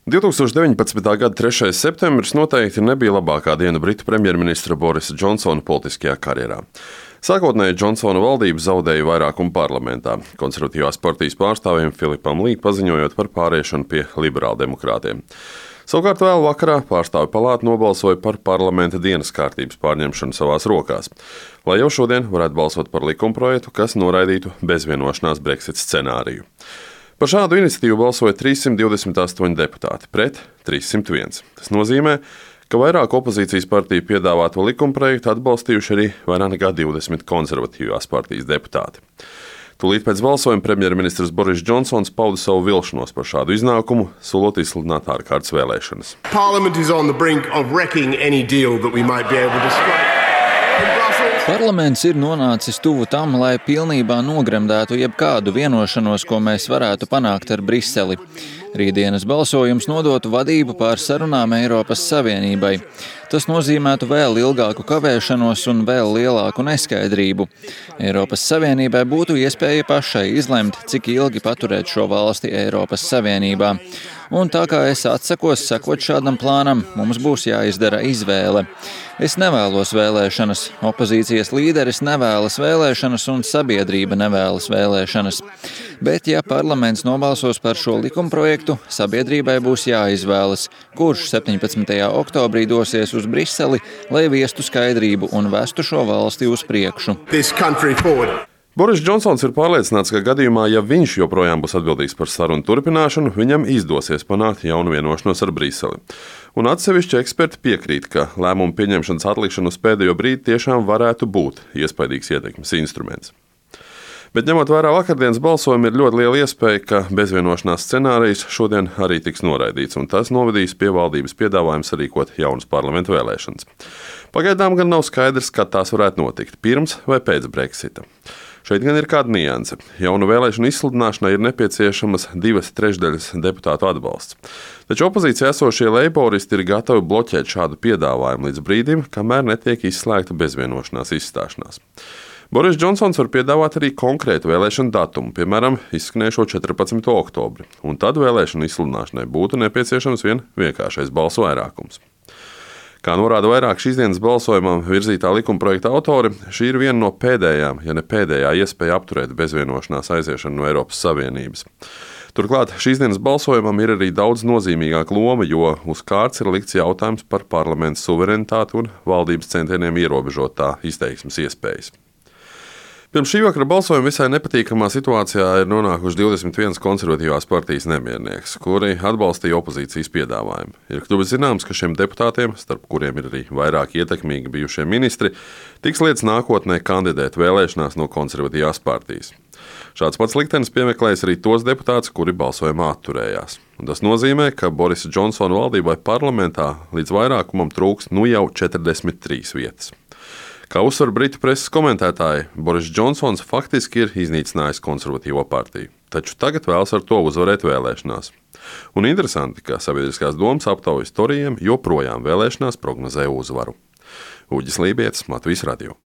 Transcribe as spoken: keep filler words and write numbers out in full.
divtūkstoš deviņpadsmitā gada trešais septembris noteikti nebija labākā diena Britu premjerministra Borisa Džonsona politiskajā karjerā. Sākotnēji Džonsona valdība zaudēja vairākumu parlamentā, konservatīvās partijas pārstāvjiem Filipam Lī paziņojot par pāriešanu pie liberāldemokrātiem. Savukārt vēl vakarā pārstāvju palāta nobalsoja par parlamenta dienas kārtības pārņemšanu savās rokās, lai jau šodien varētu balsot par likumprojektu, kas noraidītu bezvienošanās Brexit scenāriju. Par šādu iniciatīvu balsoja trīssimt divdesmit astoņi deputāti pret trīssimt viens. Tas nozīmē, ka vairāk opozīcijas partiju piedāvāto likumprojektu atbalstījuši arī vairāk nekā divdesmit konservatīvās partijas deputāti. Tūlīt pēc balsojuma premjerministrs Boris Džonsons pauda savu vilšanos par šādu iznākumu, solot izsludināt ārkārtas vēlēšanas. Parlaments ir nonācis tuvu tam, lai pilnībā nogremdētu jebkādu vienošanos, ko mēs varētu panākt ar Briseli. Rītdienas balsojums nodotu vadību pār sarunām Eiropas Savienībai. Tas nozīmētu vēl ilgāku kavēšanos un vēl lielāku neskaidrību. Eiropas Savienībai būtu iespēja pašai izlemt, cik ilgi paturēt šo valsti Eiropas Savienībā. Un tā kā es atsakos sekot šādam plānam, mums būs jāizdara izvēle. Es nevēlos vēlēšanas, opozīcijas līderis nevēlas vēlēšanas un sabiedrība nevēlas vēlēšanas. Bet, ja parlaments nobalsos par šo likumprojektu, sabiedrībai būs jāizvēlas, kurš septiņpadsmitajā oktobrī dosies uz Briseli, lai viestu skaidrību un vestu šo valsti uz priekšu. Boris Džonsons ir pārliecināts, ka gadījumā, ja viņš joprojām būs atbildīgs par sarunu turpināšanu, viņam izdosies panākt jaunu vienošanos ar Briseli. Un atsevišķi eksperti piekrīt, ka lēmumu pieņemšanas atlikšana uz pēdējo brīdi tiešām varētu būt iespaidīgs ietekmes instruments. Bet ņemot vērā vakardienas balsojumu, ir ļoti liela iespēja, ka bezvienošanās scenārijs šodien arī tiks noraidīts, un tas novedīs pie valdības piedāvājums sarīkot jaunas parlamentu vēlēšanas. Pagaidām gan nav skaidrs, kad tās varētu notikt, pirms vai pēc Brexita. Šeit gan ir kāda nianse. Jaunu vēlēšanu izsludināšanai ir nepieciešamas divas trešdaļas deputātu atbalsts. Taču opozīcijā esošie leiboristi ir gatavi bloķēt šādu piedāvājumu līdz brīdim, kamēr netiek izslēgta bezvienošanās izstāšanās. Boris Džonsons var piedāvāt arī konkrētu vēlēšanu datumu, piemēram, izskanējušo četrpadsmito oktobri, un tad vēlēšanu izsludināšanai būtu nepieciešams vien vienkāršais balsu vairākums. Kā norāda vairāk šīs dienas balsojumam virzītā likumprojekta autori, šī ir viena no pēdējām, ja ne pēdējā iespēja apturēt bezvienošanās aiziešanu no Eiropas Savienības. Turklāt šīs dienas balsojumam ir arī daudz nozīmīgāka loma, jo uz kārts ir likts jautājums par parlamenta suverenitāti un valdības centieniem ierobežot tā izteiksmes iespējas. Pirms šī vakara balsojuma visai nepatīkamā situācijā ir nonākuši divdesmit viens konservatīvās partijas nemiernieks, kuri atbalstīja opozīcijas piedāvājumu. Ir kļuvis zināms, ka šiem deputātiem, starp kuriem ir arī vairāk ietekmīgi bijušie ministri, tiks lietas nākotnē kandidēt vēlēšanās no konservatīvās partijas. Šāds pats liktenis piemeklējas arī tos deputātus, kuri balsojumā atturējās. Un tas nozīmē, ka Borisa Džonsona valdībai parlamentā līdz vairākumam trūks nu jau četrdesmit trīs vietas. Kā uzsver britu preses komentētāji, Boris Džonsons faktiski ir iznīcinājis konservatīvo partiju, taču tagad vēlas ar to uzvarēt vēlēšanās. Un interesanti, ka sabiedriskās domas aptaujas torijiem joprojām vēlēšanās prognozē uzvaru. Uģis Lībietis, Latvijas radio.